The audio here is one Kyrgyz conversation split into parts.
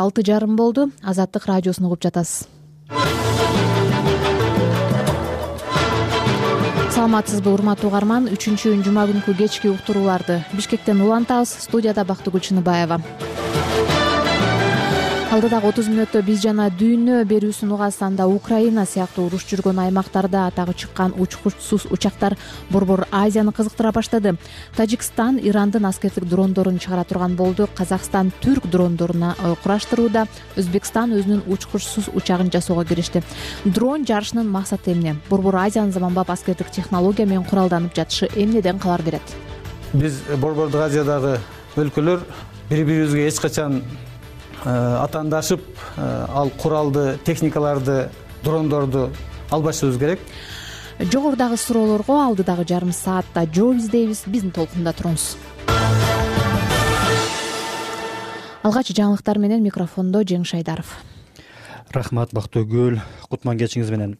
6:30 болду. Азаттык радиосун угуп жатасыз. Саламатсызбы урматтуу угарман? 3-жума күнкү кечки уктурууларды Бишкектен улантабыз. Студияда Бактыгүл Чыныбаева. Алдыдагы 30 мүнөттө биз жана дүйнө берүүсүн угасыз. Анда Украина сыяктуу уруш жүргөн аймактарда атагы чыккан учкучсуз учактар Борбор Азияны кызыктыра баштады. Тажикстан Ирандын аскердик дрондорун чыгара турган болду. Казакстан түрк дрондоруна кураштырууда. Өзбекстан өзүнүн учкучсуз учагын жасоого киришти. Дрон жарышынын максаты эмне? Борбор Азиянын заманбап аскердик технология менен куралданып жатышы эмнеден кабар берет? Биз Борбордук Азиядагы өлкөлөр бири-бирибизге эч качан атаандашып, ал куралды, техникаларды, дрондорду албашыбыз керек. Жогорудагы суроолорго алдыдагы жарым саатта жооп издейбиз. Биздин толкунда туруңуз. Алгач жаңылыктар менен микрофондо Жеңиш Айдаров. Рахмат Бактыгүл, кутман кечиңиз менен.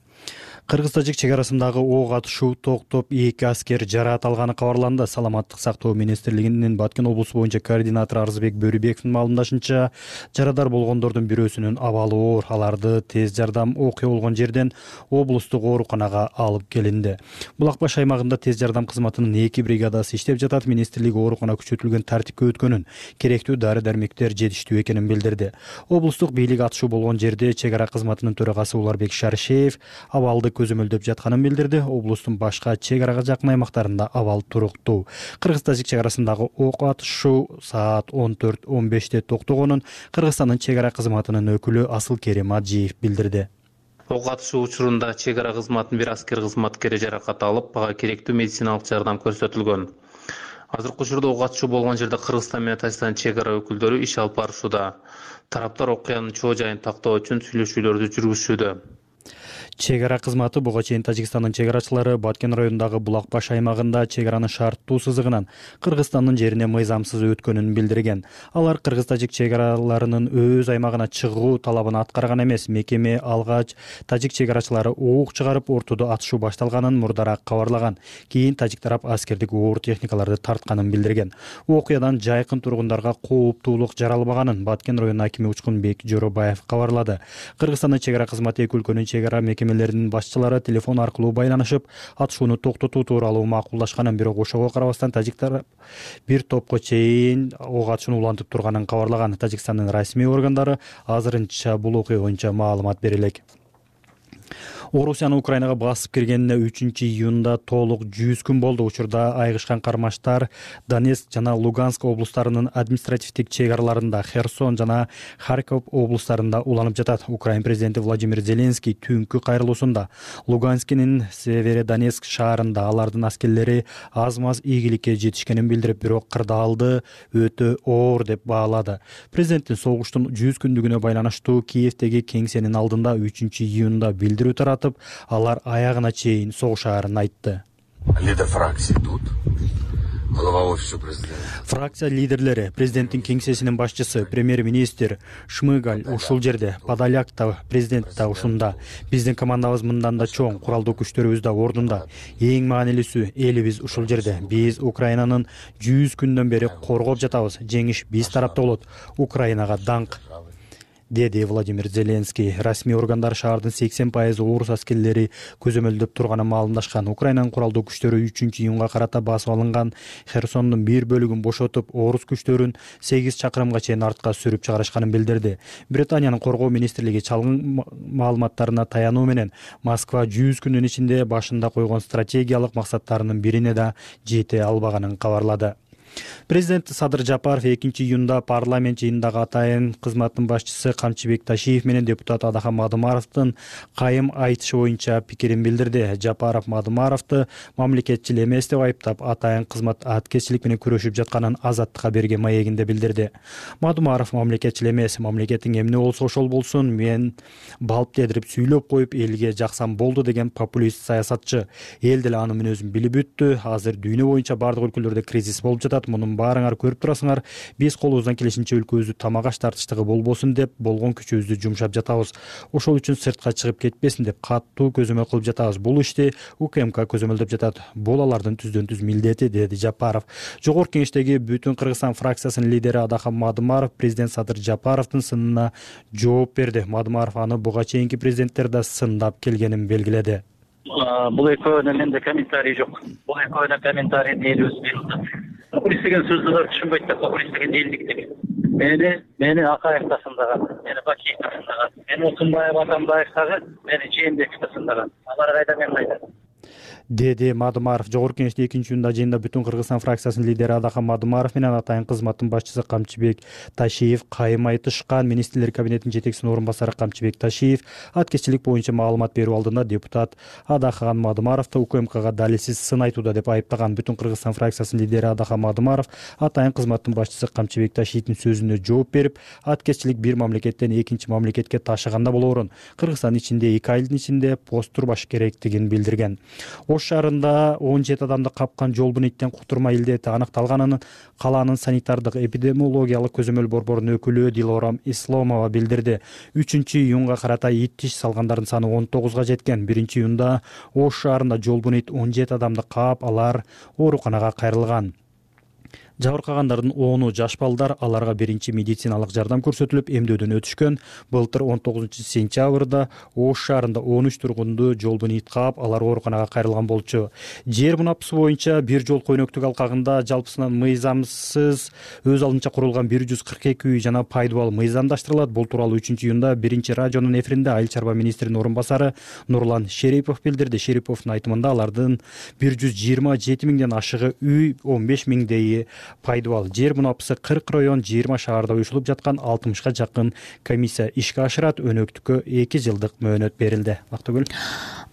Кыргыз-тажик чек арасындагы ок атышуу токтоп, 2 аскер жараат алганы кабарланды. Саламаттык сактоо министрлигинин Баткен облусу боюнча координатору Арзыбек Бөрүбековдун маалымдашынча, жарадар болгондордун бирөөсүнүн абалы оор. Аларды тез жардам окуя болгон жерден облустук ооруканага алып келинди. Булак баш аймагында тез жардам кызматынын 2 бригадасы иштеп жатат. Министрлик оорукана күчөтүлгөн тартипке өткөнүн, керектүү дары-дармектер жетиштүү экенин билдирди. Облустук бийлик атышуу болгон жерде чек ара кызматынын төрагасы Уларбек Шаршеев абалды көзөмөлдөп жатканын билдирди. Облустун башка чек арага жакын аймактарында абал туруктуу. Кыргыз-тажик чек арасындагы ок атышуу саат 14:15 токтогонун Кыргызстандын чек ара кызматынын өкүлү Асылкерим Аджиев билдирди. Ок атышуу учурунда чек ара кызматынын бир аскер кызматкери жаракат алып, ага керектүү медициналык жардам көрсөтүлгөн. Азыркы учурда ок атышуу болгон жерде Кыргызстан менен Тажикстан чек ара өкүлдөрү иш алып барышууда. Тараптар окуянын чоо жайын тактоо үчүн сүйлөшүүлөрдү жүргүзүшүүдө. Чек ара кызматы буга чейин Тажикстандын чек арачылары Баткен районундагы Булак баш аймагында чек аранын шарттуу сызыгынан Кыргызстандын жерине мыйзамсыз өткөнүн билдирген. Алар кыргыз-тажик чек араларынын өз аймагына чыгуу талабын аткарган эмес. Мекеме алгач тажик чек арачылары ок чыгарып, ортодо атышуу башталганын мурдараак кабарлаган. Кийин тажик тарап аскердик оор техникаларды тартканын билдирген. Окуядан жайкын тургундарга кооптуулук жаралбаганын Баткен районунун акими Учкунбек Жоробаев кабарлады. Кыргызстандын чек ара кызматы эки өлкөнүн чек ара мекемелеринин башчылары телефон аркылуу байланышып, атышууну токтотуу тууралуу макулдашканын, бирок ошого карабастан тажик тарап бир топко чейин ок атышууну улантып турганын кабарлаган. Тажикстандын расмий органдары азырынча бул окуя боюнча маалымат бере элек. Орусиянын Украинага басып киргенине 3-июнда толук 100 күн болду. Учурда айгышкан кармаштар Донецк жана Луганск облустарынын административдик чек араларында, Херсон жана Харьков облустарында уланып жатат. Украин президенти Владимир Зеленский түнкү кайрылуусунда Луганскинин Северодонецк шаарында алардын аскерлери аз-маз ийгиликке жетишкенин билдирип, бирок кырдаалды өтө оор деп баалады. Президенттин согуштун 100 күндүгүнө байланыштуу Киевдеги кеңсенин алдында 3-июнда билдирүү таратып, алар аягына чейин согушаарын айтты. Лидер фракции тут, глава офиса президента. Фракция лидерлери, президенттин кеңсесинин башчысы, премьер-министр Шмыгаль ушул жерде, Подоляк да, президент да ушунда. Биздин командабыз мындан да чоң, куралдуу күчтөрүбүз да ордунда. Эң маанилүүсү элибиз ушул жерде. Биз Украинанын 100 күндөн бери коргоп жатабыз. Жеңиш биз тарапта болот. Украинага даңк, деди Владимир Зеленский. Расмий органдар шаардын 80% орус аскерлери көзөмөлдөп турганын маалымдашкан. Украинанын куралдуу күчтөрү 3-июнга карата басып алынган Херсондун бир бөлүгүн бошотуп, орус күчтөрүн 8 чакырымга чейин артка сүрүп чыгарышканын билдирди. Британиянын коргоо министрлиги чалгын маалыматтарына таянуу менен Москва 100 күндүн ичинде башында койгон стратегиялык максаттарынын бирине да жете албаганын кабарлады. Президент Садыр Жапаров 2-июнда парламент жыйынындагы атайын кызматтын башчысы Камчыбек Ташиев менен депутат Адахан Мадымаровдун кайым айтышы боюнча пикирин билдирди. Жапаров Мадымаровду мамлекетчил эмес деп айыптап, атайын кызмат аткезчилик менен күрөшүп жатканын Азаттыкка берген маегинде билдирди. Мадымаров мамлекетчил эмес, мамлекеттин эмне болсо ошол болсун, мен балп дедирип сүйлөп коюп элге жаксам болду деген популист саясатчы. Эл деле анын мүнөзүн билип бүттү. Азыр дүйнө боюнча бардык өлкөлөрдө кризис болуп жатат. жатат. Мунун баарыңар көрүп турасыңар. Биз колубуздан келишинче өлкөбүздү тамак аш тартыштыгы болбосун деп болгон күчүбүздү жумшап жатабыз. Ошол үчүн сыртка чыгып кетпесин деп катуу көзөмөл кылып жатабыз. Бул ишти УКМК көзөмөлдөп жатат. Бул алардын түздөн-түз милдети, деди Жапаров. Жогорку Кеңештеги Бүтүн Кыргызстан фракциясынын лидери Адахан Мадымаров президент Садыр Жапаровдун сынына жооп берди. Мадымаров аны буга чейинки президенттер да сындап келгенин белгиледи. Бул экөөнүн менде комментарий жок. Бул экөөнүн комментарий элибиз берилди. Популист деген сөздү да түшүнбөйт да, популист деген элдик деген. Мени Акаев да сындаган, мени Бакиев да сындаган, мени Отунбаев Атамбаев дагы, мени Жээнбеков да сындаган. Алар кайда, мен кайда? Деди Мадымаров. Жогорку Кеңеште экинчи жыйында Бүтүн Кыргызстан фракциясынын лидери Адахан Мадымаров менен Атайын кызматтын башчысы Камчыбек Ташиев кайым айтышкан. Министрлер кабинетинин жетекчисинин орун басары Камчыбек Ташиев аткезчилик боюнча маалымат берүү алдында депутат Адахан Мадымаровду УКМКга далилсиз сын айтууда деп айыптаган. Бүтүн Кыргызстан фракциясынын лидери Адахан Мадымаров Атайын кызматтын башчысы Камчыбек Ташиевдин сөзүнө жооп берип, аткезчилик бир мамлекеттен экинчи мамлекетке ташыганда болоорун, Кыргызстан ичинде 2 айдын ичинде пост турбаш керектигин билдирген. Ош шаарында 17 адамды капкан жолбуниттен кутурма илдети аныкталганын калаанын санитардык эпидемиологиялык көзөмөл борборунун өкүлү Дилорам Исломова билдирди. 3-июнга карата ит тиш салгандардын саны 19га жеткен. 1-июнда Ош шаарында жолбунит 17 адамды каап, алар ооруканага кайрылган. Жабыркагандардын 10-у жаш балдар, аларга биринчи медициналык жардам көрсөтүлүп, эмдөөдөн өтүшкөн. Былтыр 19-сентябрда Ош шаарында 13 тургунду жолбунит каап, алар ооруканага кайрылган болчу. Жер мунапысы боюнча бир жол көйнөктүк алкагында жалпысынан мыйзамсыз өз алдынча курулган 142 үй жана пайдубал мыйзамдаштырылат. Бул тууралуу 3-июнда биринчи радионун эфиринде Айыл чарба министринин орун басары Нурлан Шерипов билдирди. Шериповдун айтымында алардын 127 миңден ашыгы үй, 15 миңдейи пайдубал. Жер мунапысы 40 район, 20 шаарда уюшулуп жаткан 60га жакын комиссия ишке ашырат. Өнөктүккө 2 жылдык мөөнөт берилди. Актыгүл.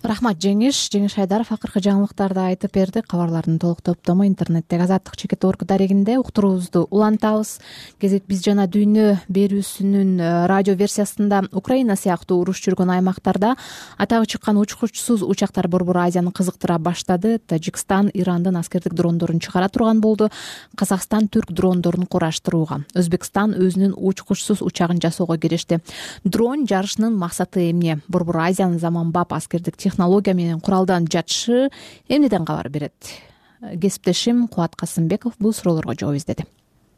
Рахмат Жеңиш Шайдаров акыркы жаңылыктарды айтып берди. Кабарлардын толук топтому интернеттеги Азаттык чекит орг дарегинде уктуруубузду улантабыз. Кезек Биз жана дүйнө берүүсүнүн радио версиясында Украина сыяктуу уруш жүргөн аймактарда атагы чыккан учкучсуз учактар Борбор Азияны кызыктыра баштады. Тажикстан Ирандын аскердик дрондорун чыгара турган болду. Казакстан түрк дрондорун кураштырууга, Өзбекстан өзүнүн учкучсуз учагын жасоого киришти. Дрон жарышынын максаты эмне? Борбор Азиянын заманбап аскердик технология менен куралдан жатышы эмнеден кабар берет? Кесиптешим Кубат Касымбеков бул суроолорго жооп издеди.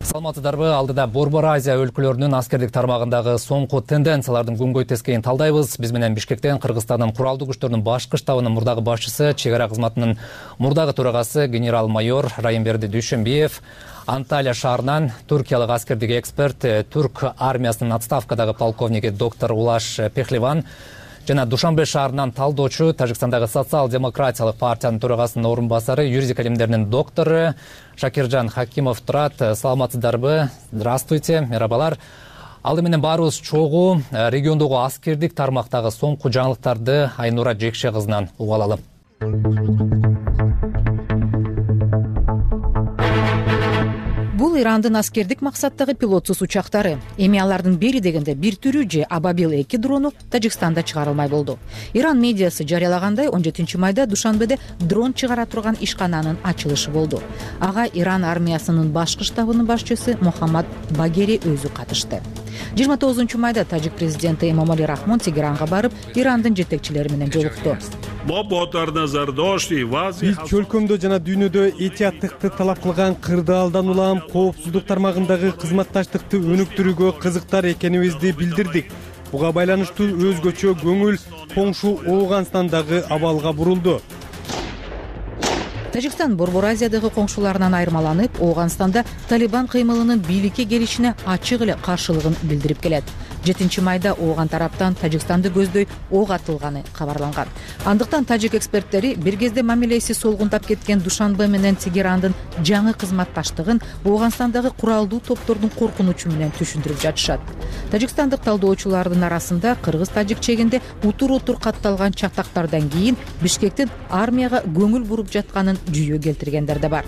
Саламатсыздарбы? Алдыда Борбор Азия өлкөлөрүнүн аскердик тармагындагы соңку тенденциялардын күнгөй тескейин талдайбыз. Биз менен Бишкектен Кыргызстандын куралдуу күчтөрүнүн башкы штабынын мурдагы башчысы, чек ара кызматынын мурдагы төрагасы генерал-майор Райымберди Дүйшөнбиев, Анталия шаарынан туркиялык аскердик эксперт, түрк армиясынын отставкадагы полковниги доктор Улаш Пехливан жана Душанбе шаарынан талдоочу, Тажикстандагы социал-демократиялык партиянын төрагасынын орун басары, юридика илимдеринин доктору Шакиржан Хакимов турат. Саламатсыздарбы? Здравствуйте, мерабалар. Алды менен баарыбыз чогуу региондогу аскердик тармактагы соңку жаңылыктарды Айнура Жекше кызынан угуп алалы. Бул Ирандын аскердик максаттагы пилотсуз учактары. Эми алардын бери дегенде бир түрү же Абабил-2 дрону Тажикстанда чыгарылмай болду. Иран медиасы жарыялагандай 17-майда Душанбеде дрон чыгара турган ишкананын ачылышы болду. Ага Иран армиясынын башкы штабынын башчысы Мухаммад Багери өзү катышты. 29-майда тажик президенти Эмомали Рахмон Тегеранга барып, Ирандын жетекчилери менен жолукту. Биз чөлкөмдө жана дүйнөдө этияттыкты талап кылган кырдаалдан улам коопсуздук тармагындагы кызматташтыкты өнүктүрүүгө кызыктар экенибизди билдирдик. Буга байланыштуу өзгөчө көңүл коңшу Ооганстандагы абалга бурулду. Тажикстан Борбор Азиядагы коңшуларынан айырмаланып, Ооганстанда Талибан кыймылынын бийликке келишине ачык эле каршылыгын билдирип келет. 7-майда Ооган тараптан Тажикстанды көздөй ок атылганы кабарланган. Андыктан тажик эксперттери бир кезде мамилеси солгундап кеткен Душанбе менен Тегерандын жаңы кызматташтыгын Ооганстандагы куралдуу топтордун коркунучу менен түшүндүрүп жатышат. Тажикстандык талдоочулардын арасында кыргыз-тажик чегинде утур-утур катталган чатактардан кийин Бишкектин армияга көңүл буруп жатканын жүйө келтиргендер да бар.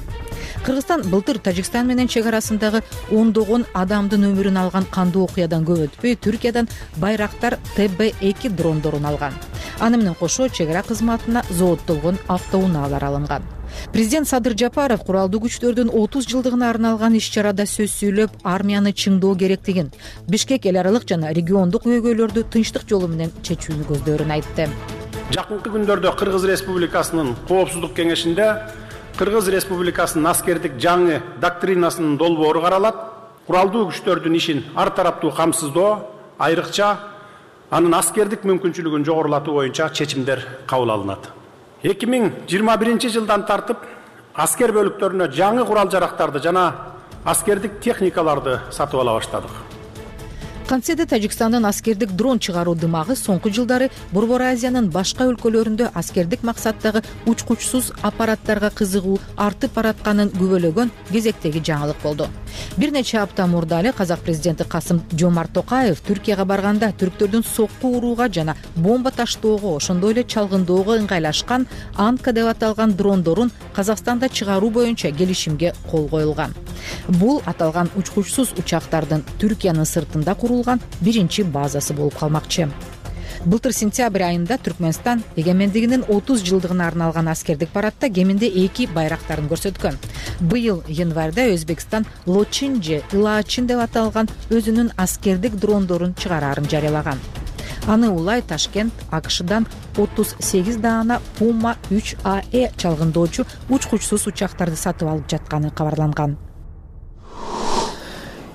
Кыргызстан былтыр Тажикстан менен чек арасындагы ондогон адамдын өмүрүн алган кандуу окуядан көп өтпөй Түркиядан Байрактар ТБ2 дрондорун алган. Аны менен кошо чек ара кызматына зооттолгон автоунаалар алынган. Президент Садыр Жапаров куралдуу күчтөрдүн 30 жылдыгына арналган иш-чарада сөз сүйлөп, армияны чыңдоо керектигин, Бишкек эл аралык жана региондук көйгөйлөрдү тынчтык жолу менен чечүүнү көздөрүн айтты. Жакынкы күндөрдө Кыргыз Республикасынын Коопсуздук кеңешинде Кыргыз Республикасынын аскердик жаңы доктринасынын долбоору каралат. Куралдуу күчтөрдүн ишин ар тараптуу камсыздоо, айрыкча анын аскердик мүмкүнчүлүгүн жогорулатуу боюнча чечимдер кабыл алынат. 2021 жылдан тартып аскер бөлүктөрүнө жаңы курал-жарактарды жана аскердик техникаларды сатып ала баштадык. Кантсе да Тажикстандын аскердик дрон чыгаруу дымагы соңку жылдары Борбор Азиянын башка өлкөлөрүндө аскердик максаттагы учкучсуз аппараттарга кызыгуу артып баратканын күбөлөгөн кезектеги жаңылык болду. Бир нече апта мурда эле казак президенти Касым-Жомарт Токаев Түркияга барганда түрктөрдүн сокку урууга жана бомба таштоого, ошондой эле чалгындоого ыңгайлашкан Анка деп аталган дрондорун Казакстанда чыгаруу боюнча келишимге кол коюлган. Бул аталган учкучсуз учактардын Түркиянын сыртында курулган биринчи базасы болуп калмакчы. Былтыр сентябрь айында Түркмөнстан эгемендигинин 30 жылдыгына арналган аскердик парадта кеминде 2 байрактарын көрсөткөн. Быйыл январда Өзбекстан Лочинже Илаачин деп аталган өзүнүн аскердик дрондорун чыгарарын жарыялаган. Аны улай Ташкент АКШдан 38 даана Puma 3AE чалгындоочу учкучсуз учактарды сатып алып жатканы кабарланган.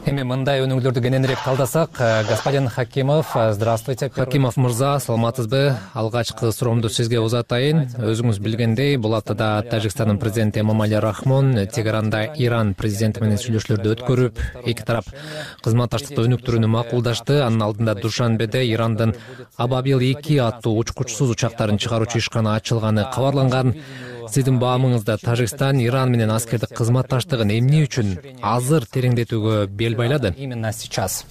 Эми мындай өнүгүүлөрдү кененирээк талдасак, господин Хакимов, здравствуйте. Хакимов мырза, саламатсызбы? Алгачкы суроомду сизге узатайын. Өзүңүз билгендей, бул аптада Тажикстандын президенти Эмомали Рахмон Тегеранда Иран президенти менен сүйлөшүүлөрдү өткөрүп, эки тарап кызматташтыкты өнүктүрүүнү макулдашты. Анын алдында Душанбеде Ирандын Абабил 2 аттуу учкучсуз учактарын чыгаруучу ишкана ачылганы кабарланган. Сиздин баамыңызда Тажикстан Иран менен аскердик кызматташтыгын эмне үчүн азыр тереңдетүүгө бел байлады? Именно сейчас.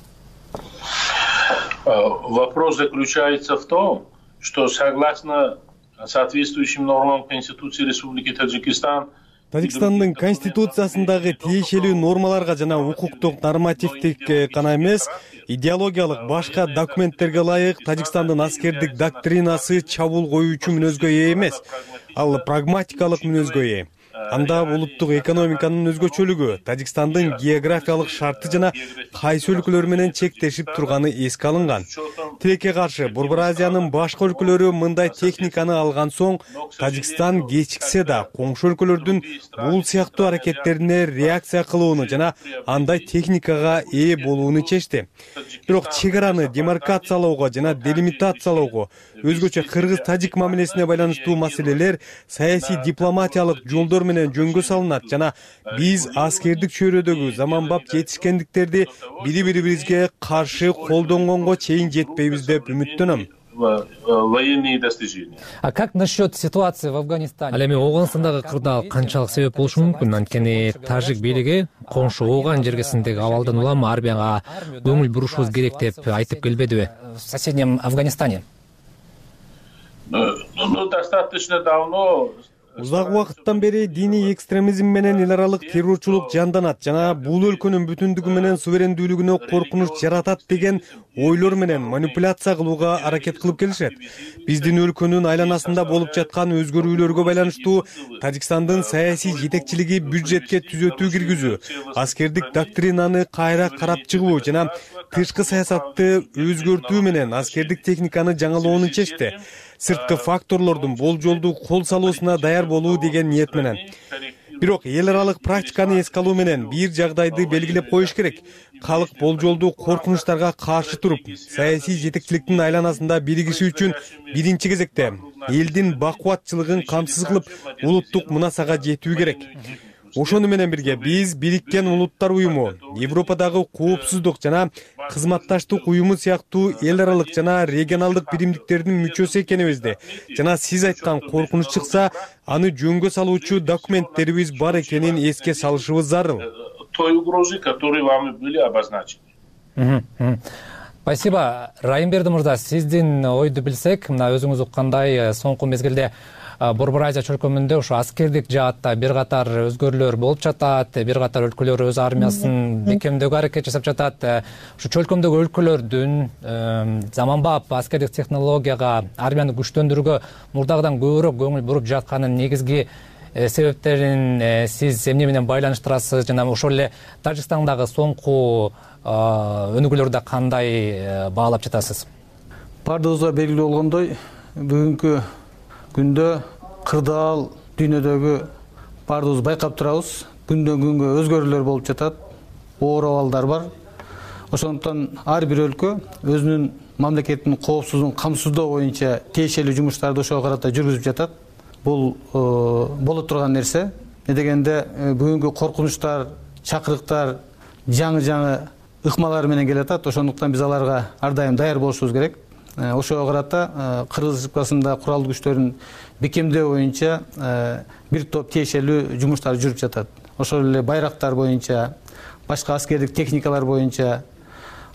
Вопрос заключается в том, что согласно соответствующим нормам Конституции Республики Таджикистан Тажикстандын конституциясындагы тиешелүү нормаларга жана укуктук нормативдик гана эмес, идеологиялык башка документтерге ылайык Тажикстандын аскердик доктринасы чабуул коюучу мүнөзгө ээ эмес. Ал прагматикалык мүнөзгө ээ. Анда улуттук экономиканын өзгөчөлүгү, Тажикстандын географиялык шарты жана кайсы өлкөлөр менен чектешип турганы эске алынган. Тилекке каршы Борбор Азиянын башка өлкөлөрү мындай техниканы алган соң Тажикстан кечиксе да коңшу өлкөлөрдүн бул сыяктуу аракеттерине реакция кылууну жана андай техникага ээ болууну чечти. Бирок чек араны демаркациялоого жана делимитациялоого, өзгөчө кыргыз-тажик мамилесине байланыштуу маселелер саясий дипломатиялык жолдор менен жөнгө салынат жана биз аскердик чөйрөдөгү заманбап жетишкендиктерди бири-бирибизге каршы колдонгонго чейин жетпейбиз деп үмүттөнөм. Военные достижения. А как насчет ситуации в Афганистане? Ал эми Оогандагы кырдаал канчалык себеп болушу мүмкүн? Анткени тажик бийлиги коңшу Ооган жергесиндеги абалдан улам армияга көңүл бурушубуз керек деп айтып келбедиби? В соседнем Афганистане. Достаточно давно. Узак убакыттан бери диний экстремизм менен эл аралык террорчулук жанданат жана бул өлкөнүн бүтүндүгү менен суверендүүлүгүнө коркунуч жаратат деген ойлор менен манипуляция кылууга аракет кылып келишет. Биздин өлкөнүн айланасында болуп жаткан өзгөрүүлөргө байланыштуу Тажикстандын саясий жетекчилиги бюджетке түзөтүү киргизүү, аскердик доктринаны кайра карап чыгуу жана тышкы саясатты өзгөртүү менен аскердик техниканы жаңылоону чечти. Сырткы факторлордун болжолдуу кол салуусуна даяр болуу деген ниет менен. Бирок эл аралык практиканы эске алуу менен бир жагдайды белгилеп коюш керек. Калк болжолдуу коркунучтарга каршы туруп, саясий жетекчиликтин айланасында биригиши үчүн биринчи кезекте элдин бакубатчылыгын камсыз кылып, улуттук мунасага жетүү керек. Ошону менен бирге биз Бириккен Улуттар уюму, Европадагы коопсуздук жана кызматташтык уюму сыяктуу эл аралык жана регионалдык биримдиктердин мүчөсү экенибизди жана сиз айткан коркунуч чыкса, аны жөнгө салуучу документтерибиз бар экенин эске салышыбыз зарыл. Той угрозы, которые вами были обозначены. Спасибо. Райымберди мырза, сиздин ойду билсек, мына өзүңүз уккандай соңку мезгилде Борбор Азия чөлкөмүндө ушу аскердик жаатта бир катар өзгөрүүлөр болуп жатат, бир катар өлкөлөр өз армиясын бекемдөөгө аракет жасап жатат. Ушу чөлкөмдөгү өлкөлөрдүн заманбап аскердик технологияга, армияны күчтөндүрүүгө мурдагыдан көбүрөөк көңүл буруп жатканын негизги себептерин сиз эмне менен байланыштырасыз жана ошол эле Тажикстандагы соңку өнүгүүлөрдү кандай баалап жатасыз? Бардыгыбызга белгилүү болгондой, бүгүнкү күндө кырдаал дүйнөдөгү бардыгыбыз байкап турабыз. Күндөн күнгө өзгөрүүлөр болуп жатат, оор абалдар бар. Ошондуктан ар бир өлкө өзүнүн мамлекетинин коопсуздугун камсыздоо боюнча тиешелүү жумуштарды ошого карата жүргүзүп жатат. Бул боло турган нерсе. Дегенде бүгүнкү коркунучтар, чакырыктар жаңы ыкмалар менен келатат. Ошондуктан биз аларга ар дайым даяр болушубуз керек. Ошого карата Кыргыз Республикасында куралдуу күчтөрдүн бекемдөө боюнча бир топ тиешелүү жумуштар жүрүп жатат. Ошол эле байрактар боюнча, башка аскердик техникалар боюнча.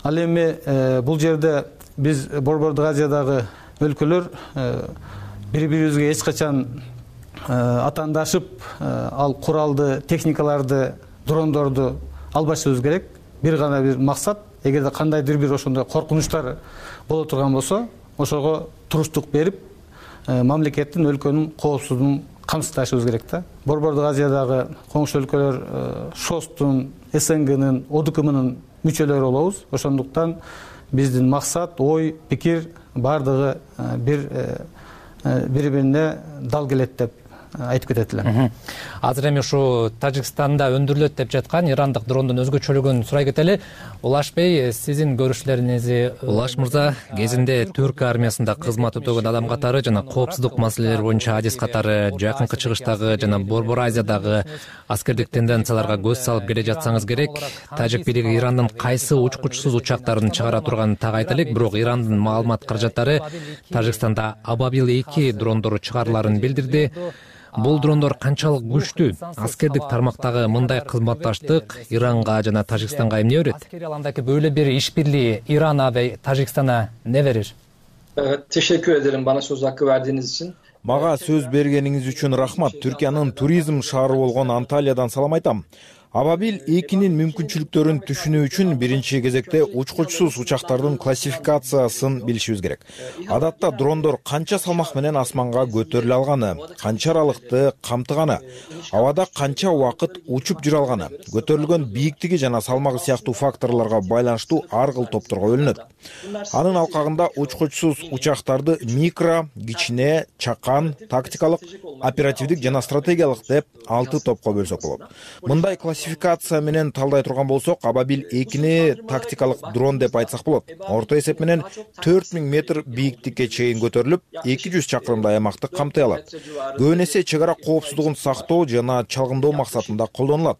Ал эми бул жерде биз Борбордук Азиядагы өлкөлөр бири-бирибизге эч качан атаандашып, ал куралды техникаларды, дрондорду албашыбыз керек. Бир гана бир максат, эгерде кандайдыр бир ошондой коркунучтар боло турган болсо, ошого туруштук берип, мамлекеттин, өлкөнүн коопсуздугун камсыздашыбыз керек да. Борбордук Азиядагы коңшу өлкөлөр ШОСТун, СНГнын, ОДКМнын мүчөлөрү болобуз. Ошондуктан биздин максат, ой, пикир бардыгы бири-бирине дал келет деп айтып кетет элем. Азыр эми ушу Тажикстанда өндүрүлөт деп жаткан ирандык дрондун өзгөчөлүгүн сурай кетели. Улаш Бей, сиздин көрүшлөрүңүз? Улаш мырза, кезинде Түрк армиясында кызмат өтөгөн адам катары жана коопсуздук маселелери боюнча адис катары Жакынкы Чыгыштагы жана Борбор Азиядагы аскердик тенденцияларга көз салып келе жатсаңыз керек. Тажик бийлиги Ирандын кайсы учкучсуз учактарын чыгара турганын так айтайлык, бирок Ирандын маалымат каражаттары Тажикстанда Абабил 2 дрондору чыгарыларын билдирди. Бул дрондор канчалык күчтүү? Аскердик тармактагы мындай кызматташтык Иранга жана Тажикстанга эмне берет? Аскери аландагы böyle bir işbirliği İran'a ve Tajikistan'a ne verir? Evet, teşekkür ederim bana söz hakkı verdiğiniz için. Мага сөз бергениңиз үчүн рахмат. Түркиянын туризм шаары болгон Анталиядан салам айтам. Абабил 2-нин мүмкүнчүлүктөрүн түшүнүү үчүн биринчи кезекте учкучсуз учактардын классификациясын билишибиз керек. Адатта дрондор канча салмак менен асманга көтөрүлө алганы, канча аралыкты камтыганы, абада канча убакыт учуп жүрө алганы, көтөрүлгөн бийиктиги жана салмагы сыяктуу факторлорго байланыштуу ар кыл топторго бөлүнөт. Анын алкагында учкучсуз учактарды микро, кичине, чакан, тактикалык, оперативдик жана стратегиялык деп 6 топко бөлсөк болот. Мындай классификация менен талдай турган болсок, Абабил 2-ни тактикалык дрон деп айтсак болот. Орто эсеп менен 4000 метр бийиктикке чейин көтөрүлүп, 200 чакырымдай аймакты камтый алат. Көбүн эсе чек ара коопсуздугун сактоо жана чалгындоо максатында колдонулат.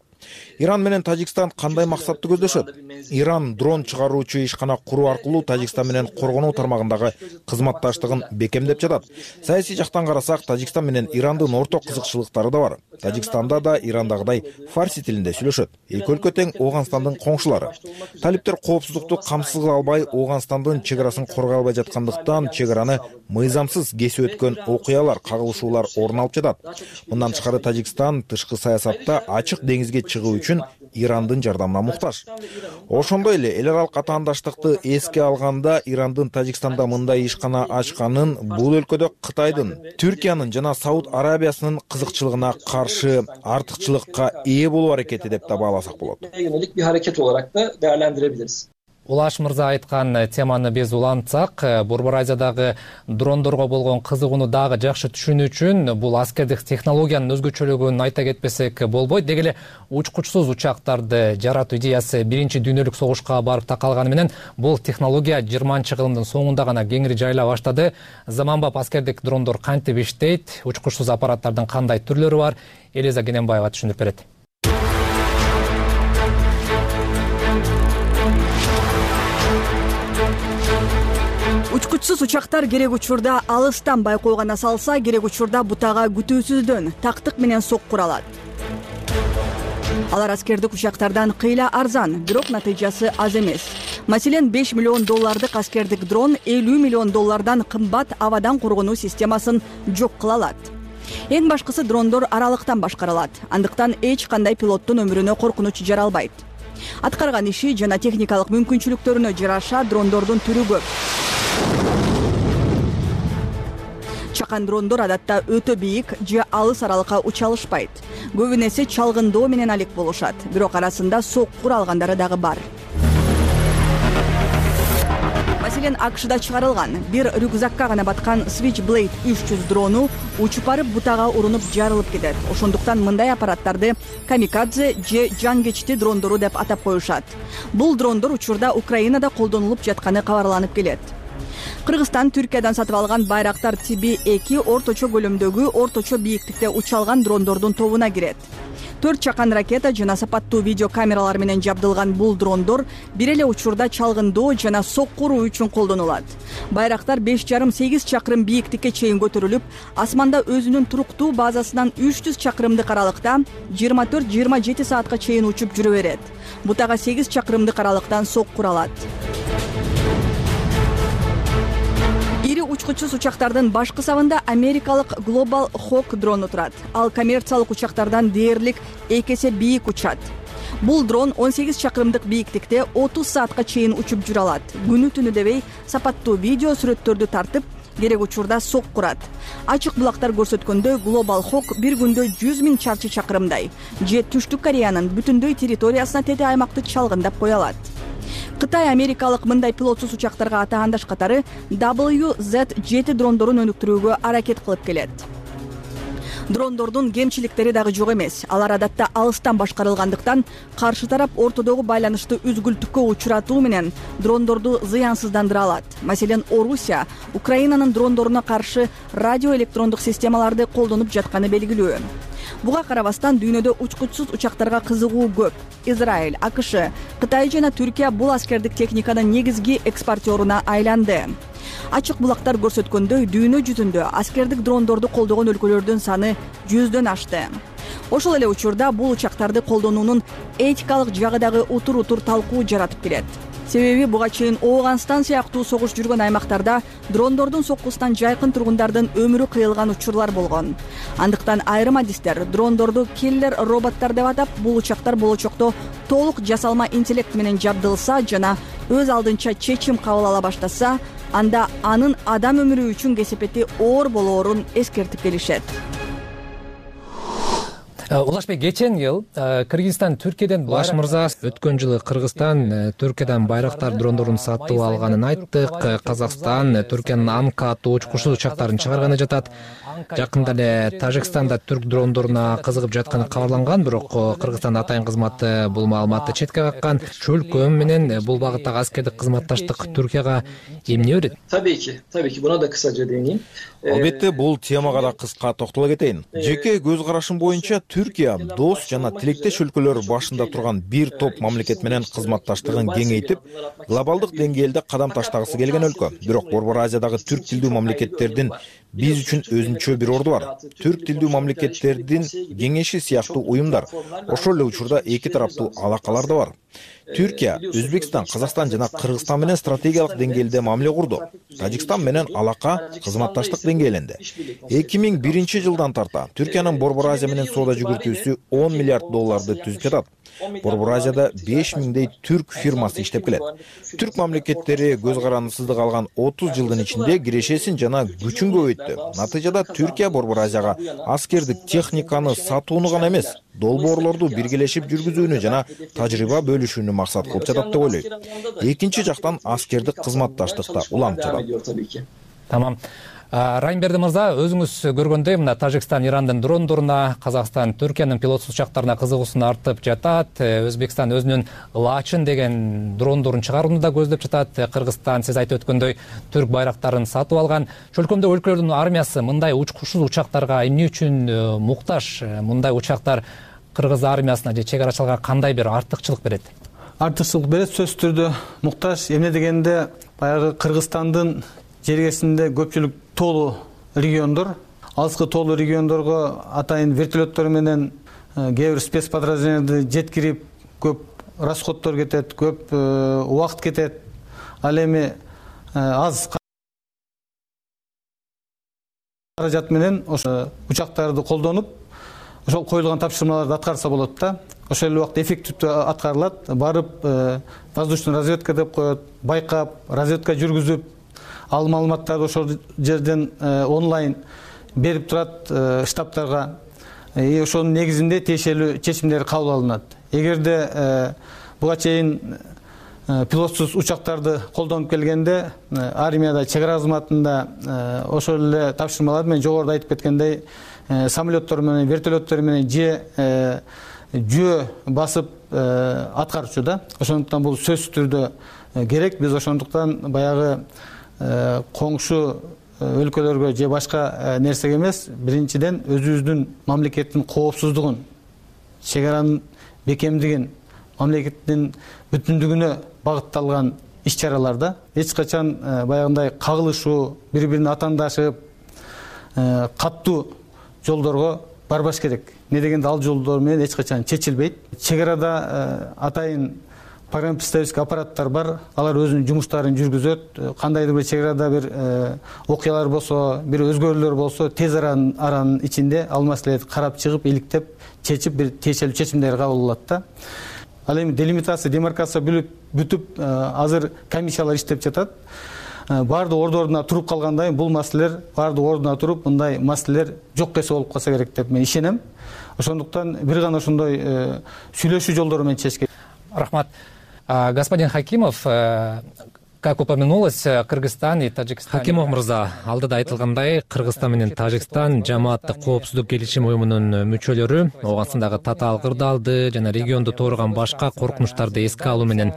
Иран менен Тажикстан кандай максатты көздөшөт? Иран дрон чыгаруучу ишкана куруу аркылуу Тажикстан менен коргонуу тармагындагы кызматташтыгын бекемдеп жатат. Саясий жактан карасак, Тажикстан менен Ирандын орток кызыкчылыктары да бар. Тажикстанда да Ирандагыдай фарси тилинде сүйлөшөт. Эки өлкө тең Ооганстандын коңшулары. Талиптер коопсуздукту камсыз кыла албай, Ооганстандын чек арасын коргой албай жаткандыктан чек араны мыйзамсыз кесип өткөн окуялар, кагылышуулар орун алып жатат. Мындан тышкары Тажикстан тышкы саясатта ачык деңизге чыгуу үчүн Ирандын жардамына муктаж. Ошондой эле эл аралык атаандаштыкты эске алганда Ирандын Тажикстанда мындай ишкана ачканын бул өлкөдө Кытайдын, Түркиянын жана Сауд Арабиясынын кызыкчылыгына каршы артыкчылыкка ээ болуу аракети деп да бааласак болот. Yönelik bir hareket olarak da değerlendirebiliriz. Улаш мырза айткан теманы биз улантсак, Борбор Азиядагы дрондорго болгон кызыгууну дагы жакшы түшүнүү үчүн бул аскердик технологиянын өзгөчөлүгүн айта кетпесек болбойт. Деги эле учкучсуз учактарды жаратуу идеясы биринчи дүйнөлүк согушка барып такалганы менен бул технология 20-кылымдын соңунда гана кеңири жайыла баштады. Заманбап аскердик дрондор кантип иштейт, учкучсуз аппараттардын кандай түрлөрү бар? Элиза Кененбаева түшүндүрүп берет. Учкучсуз учактар керек учурда алыстан байкоо гана салса, керек учурда бутага күтүүсүздөн тактык менен соккура алат. Алар аскердик учактардан кыйла арзан, бирок натыйжасы аз эмес. Маселен, $5 миллион аскердик дрон $50 миллион кымбат абадан коргонуу системасын жок кыла алат. Эң башкысы дрондор аралыктан башкарылат. Андыктан эч кандай пилоттун өмүрүнө коркунуч жаралбайт. Аткарган иши жана техникалык мүмкүнчүлүктөрүнө жараша дрондордун түрү көп. чакан дрондор адатта өтө бийик же алыс аралыкка уча алышпайт. Көбүн эсе чалгындоо менен алек болушат. Бирок арасында соккур алгандары дагы бар. Маселен, АКШда чыгарылган бир рюкзакка гана баткан Switchblade 300 дрону учуп барып бутага урунуп жарылып кетет. Ошондуктан мындай аппараттарды камикадзе же жан-кечти дрондору деп атап коюшат. Бул дрондор учурда Украинада колдонулуп жатканы кабарланып келет. Кыргызстан Түркиядан сатып алган Байрактар TB2 орточо көлөмдөгү, орточо бийиктикте уча алган дрондордун тобуна кирет. 4 чакан ракета жана сапаттуу видео камералар менен жабдылган бул дрондор бир эле учурда чалгындоо жана соккуруу үчүн колдонулат. Байрактар 5,5-8 чакырым бийиктикке чейин көтөрүлүп, асманда өзүнүн туруктуу базасынан 300 чакырымдык аралыкта 24-27 саатка чейин учуп жүрө берет. Бутага 8 чакырымдык аралыктан соккур алат. Ири учкучсуз учактардын баш кысабында америкалык Global Hawk дрону турат. Ал коммерциялык учактардан дээрлик 2 эсе бийик учат. Бул дрон 18 чакырымдык бийиктикте 30 саатка чейин учуп жүрө алат. Күнү түнү дебей сапаттуу видео сүрөттөрдү тартып, керек учурда соккурат. Ачык булактар көрсөткөндөй Global Hawk бир күндө 100 000 чарчы чакырымдай же Түштүк Кореянын бүтүндөй территориясына тете аймакты чалгындап кое алат. Кытай америкалык мындай пилотсуз учактарга атаандаш катары WZ-7 дрондорун өнүктүрүүгө аракет кылып келет. Дрондордун кемчиликтери дагы жок эмес. Алар адатта алыстан башкарылгандыктан каршы тарап ортодогу байланышты үзгүлтүккө учуратуу менен дрондорду зыянсыздандыра алат. Маселен, Орусия Украинанын дрондоруна каршы радиоэлектрондук системаларды колдонуп жатканы белгилүү. Буга карабастан дүйнөдө учкучсуз учактарга кызыгуу көп. Израиль, АКШ, Кытай жана Түркия бул аскердик техниканын негизги экспортеруна айланды. Ачык булактар көрсөткөндөй, дүйнө жүзүндө аскердик дрондорду колдогон өлкөлөрдүн саны 100дөн ашты. Ошол эле учурда бул учактарды колдонуунун этикалык жагы дагы утур-утур талкуу жаратып келет. Себеби буга чейин Ооганстан сыяктуу согуш жүргөн аймактарда дрондордун соккусунан жайкын тургундардын өмүрү кыйылган учурлар болгон. Андыктан айрым адистер дрондорду киллер роботтор деп атап, бул учактар болочокто толук жасалма интеллект менен жабдылса жана өз алдынча чечим кабыл ала баштаса, анда анын адам өмүрү үчүн кесепети оор болоорун эскертип келишет. Улашбек, кечен жыл Кыргызстан Түркиядан Улаш мырза, өткөн жылы Кыргызстан Түркиядан Байрактар дрондорун сатып алганын айттык. Казакстан Түркиянын Анка аттуу учкучсуз учактарын чыгарганы жатат. Жакында эле Тажикстанда түрк дрондоруна кызыгып жатканы кабарланган, бирок Кыргызстан атайын кызматы бул маалыматты четке каккан. Чөлкө менен бул багыттагы аскердик кызматташтык Түркияга эмне берет? Tabii ki buna da kısaca değineyim. Албетте, бул темага да кыска токтоло кетейин. Жеке көз карашым боюнча Түркия дос жана тилектеш өлкөлөр башында турган бир топ мамлекет менен кызматташтыгын кеңейтип, глобалдык деңгээлде кадам таштагысы келген өлкө. Бирок Борбор Азиядагы түрк тилдүү мамлекеттердин биз үчүн өзүнчө бир орду бар. Түрк тилдүү мамлекеттердин кеңеши сыяктуу уюмдар, ошол эле учурда эки тараптуу алакалар да бар. Түркия, Өзбекстан, Казакстан жана Кыргызстан менен стратегиялык деңгээлде мамиле курду. Тажикстан менен алака кызматташтык деңгээлинде. 2001 жылдан тарта Түркиянын Борбор Азия менен соода жүгүртүүсү $10 миллиард түзүп жатат. Борбор Азияда 5000дей түрк фирмасы иштеп келет. Түрк мамлекеттери көз карандысыздык алган 30 жылдын ичинде кирешесин жана күчүн көбөйттү. Натыйжада Түркия Борбор Азияга аскердик техниканы сатууну гана эмес, долбоорлорду биргелешип жүргүзүүнү жана тажрыйба бөлүшүүнү максат кылып жатат деп ойлойт. Экинчи жактан аскердик кызматташтыкта уланып жатат. Тамам. Райымберди мырза, өзүңүз көргөндөй, мына Тажикстан Ирандын дрондоруна, Казакстан Түркиянын пилотсуз учактарына кызыгуусун артып жатат. Өзбекстан өзүнүн Лачын деген дрондорун чыгарууну да көздөп жатат. Кыргызстан, сиз айтып өткөндөй, түрк байрактарын сатып алган. Чөлкөмдө өлкөлөрдүн армиясы мындай учкучсуз учактарга эмне үчүн муктаж? Мындай учактар кыргыз армиясына же чек арачыларга кандай бир артыкчылык берет? Артыкчылык берет, сөзсүз түрдө муктаж. Эмне дегенде, баягы Кыргызстандын жергесинде көпчүлүк тоолуу региондор, алыскы тоолуу региондорго атайын вертолеттор менен кээ бир спецподразделенияларды жеткирип, көп расходдор кетет, көп убакыт кетет. Ал эми аз каражат менен ошо учактарды колдонуп, ошол коюлган тапшырмаларды аткарса болот да. Ошол эле убакта эффективдүү аткарылат. Барып воздушный разведка деп коет, байкап, разведка жүргүзүп, ал маалыматтарды ошол жерден онлайн берип турат штабтарга. Ошонун негизинде тиешелүү чечимдер кабыл алынат. Эгерде буга чейин пилотсуз учактарды колдонуп келгенде армияда, чек ара кызматында ошол эле тапшырмалар менен жогоруда айтып кеткендей самолеттор менен, вертолеттор менен же жөө басып аткарчу да. Ошондуктан бул сөзсүз түрдө керек. Биз ошондуктан баягы коңшу өлкөлөргө же башка нерсеге эмес, биринчиден өзүбүздүн мамлекеттин коопсуздугун, чек аранын бекемдигин, мамлекеттин бүтүндүгүнө багытталган иш-чараларда эч качан баягындай кагылышуу, бири-бирине атаандашып, каттуу жолдорго барбаш керек. Не дегенде ал жолдор менен эч качан чечилбейт. Чек арада атайын погранпредставительский аппараттар бар. Алар өзүнүн жумуштарын жүргүзөт. Кандайдыр бир чек арада бир окуялар болсо, бир өзгөрүүлөр болсо, тез аранын ичинде ал маселелерди карап чыгып, иликтеп, чечип бир тиешелүү чечимдер кабыл алат да. Ал эми делимитация, демаркация бүтүп, азыр комиссиялар иштеп жатат. Баардык ордуна туруп калгандан кийин бул маселелер баардык ордуна туруп, мындай маселелер жок эсе болуп калса керек деп мен ишенем. Ошондуктан бир гана ошондой сүйлөшүү жолдору менен чечиш керек. Рахмат. Господин Хакимов, как упомянулось, Кыргызстан и Таджикстан. Хакимов мырза, алдыда айтылгандай, Кыргызстан менен Тажикстан жамааттык коопсуздук келишим уюмунун мүчөлөрү, Ооганстандагы татаал кырдаалды жана регионду тоорогон башка коркунучтарды эске алуу менен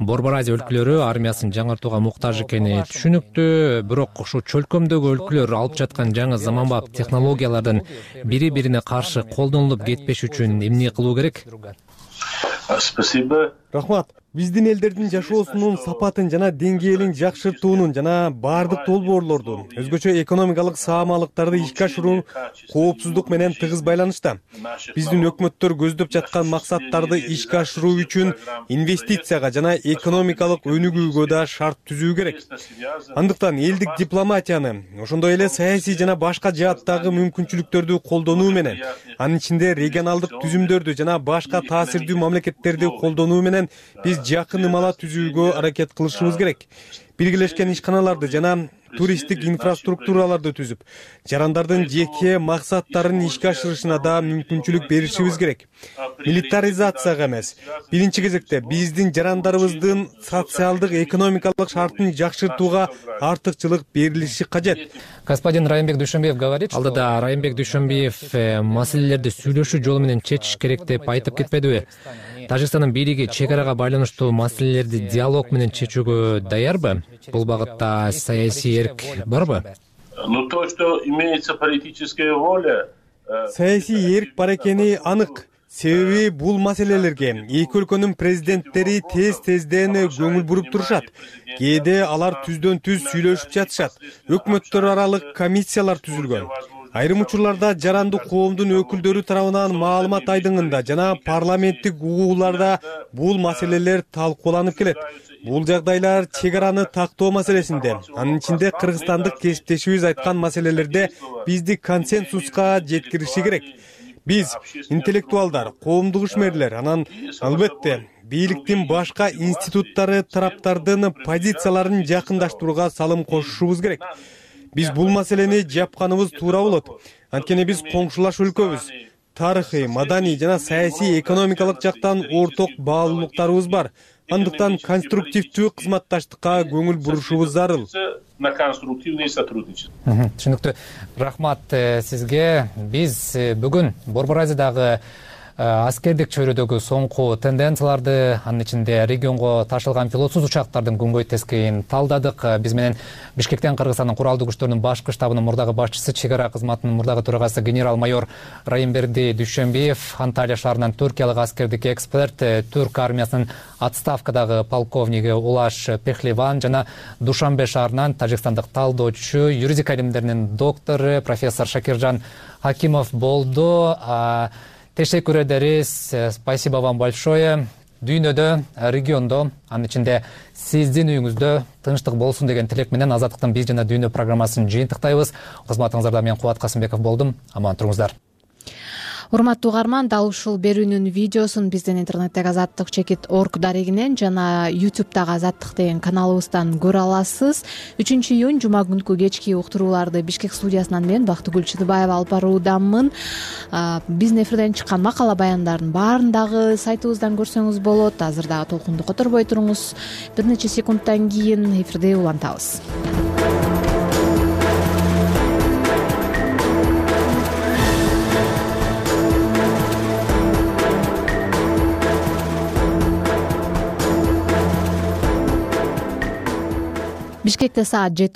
Борбор Азия өлкөлөрү армиясын жаңыртууга муктаж экени түшүнүктүү, бирок ушул чөлкөмдөгү өлкөлөр алып жаткан жаңы заманбап технологиялардын бири-бирине каршы колдонулуп кетпеш үчүн эмне кылуу керек? Спасибо. Рахмат. Биздин элдердин жашоосунун сапатын жана деңгээлин жакшыртуунун жана баардык долбоорлордун, өзгөчө экономикалык саамалыктарды ишке ашыруу коопсуздук менен тыгыз байланышта. Биздин өкмөттөр көздөп жаткан максаттарды ишке ашыруу үчүн инвестицияга жана экономикалык өнүгүүгө да шарт түзүү керек. Андыктан элдик дипломатияны, ошондой эле саясий жана башка жааттагы мүмкүнчүлүктөрдү колдонуу менен, анын ичинде регионалдык түзүмдөрдү жана башка таасирдүү мамлекеттерди колдонуу менен биз жакын ымала түзүүгө аракет кылышыбыз керек. Биргелешкен ишканаларды жана туристтик инфраструктураларды түзүп, жарандардын жеке максаттарын ишке ашырышына да мүмкүнчүлүк беришибиз керек. Милитаризацияга эмес, биринчи кезекте биздин жарандарыбыздын социалдык, экономикалык шартын жакшыртууга артыкчылык берилиши кажет. Господин Райымбек Дүйшөнбиев говорит, алдыда Райымбек Дүйшөнбиев маселелерди сүйлөшүү жолу менен чечиш керек деп айтып кетпедиби? Тажикстандын бийлиги чек арага байланыштуу маселелерди диалог менен чечүүгө даярбы? Бул багытта саясий эрк барбы? Ну то, что имеется политическая воля. Саясий эрк бар экени анык. Себеби бул маселелерге эки өлкөнүн президенттери тез-тезден көңүл буруп турушат. Кээде алар түздөн түз сүйлөшүп жатышат. Өкмөттөр аралык комиссиялар түзүлгөн. Айрым учурларда жарандуу коомдун өкүлдөрү тарабынан маалымат айдыңында жана парламенттик угууларда бул маселелер талкууланып келет. Бул жагдайлар чек араны тактоо маселесинде, анын ичинде кыргызстандык кесиптешибиз айткан маселелерде бизди консенсуска жеткириши керек. Биз интеллектуалдар, коомдук ишмерлер, анан албетте бийликтин башка институттары тараптардын позицияларын жакындаштырууга салым кошушубуз керек. Биз бул маселени жапканыбыз туура болот. Анткени биз коңшулаш өлкөбүз. Тарыхый, маданий жана саясий, экономикалык жактан орток баалуулуктарыбыз бар. Андыктан конструктивдүү кызматташтыкка көңүл бурушубуз зарыл. На конструктивное сотрудничество. Түшүнүктүү. Рахмат сизге. Биз бүгүн Борбор Азиядагы аскердик чөйрөдөгү соңку тенденцияларды, анын ичинде регионго ташылган пилотсуз учактардын күнгөй тескейин талдадык. Биз менен Бишкектен Кыргызстандын куралдуу күчтөрүнүн башкы штабынын мурдагы башчысы, чек ара кызматынын мурдагы төрагасы генерал-майор Райымбек Дүйшөнбиев, Анталия шаарынан түркиялык аскердик эксперт, түрк армиясынын отставкадагы полковниги Улаш Пехливан жана Душанбе шаарынан тажикстандык талдоочу, юридика илимдеринин доктору профессор Шакиржан Хакимов болду. Teşekkür ederiz. Спасибо вам большое. Дүйнөдө, региондо, анын ичинде сиздин үйүңүздө тынчтык болсун деген тилек менен Азаттыктын биз жана дүйнө программасын жыйынтыктайбыз. Кызматыңыздарда мен Кубат Касымбеков болдум. Аман туруңуздар. Урматтуу угарман, дал ушул берүүнүн видеосун биздин интернеттеги azattik.org дарегинен жана YouTube'дагы Азаттык деген каналыбыздан көрө аласыз. 3-июнь жума күнкү кечки уктурууларды Бишкек студиясынан мен Бактыгүл Чыдыбаева алып баруудамын. Биздин эфирден чыккан макала баяндардын баарын дагы сайтыбыздан көрсөңүз болот. Азыр дагы толкунду которбой туруңуз. Бир нече секундтан кийин эфирде улантабыз. Бишкекте саат 7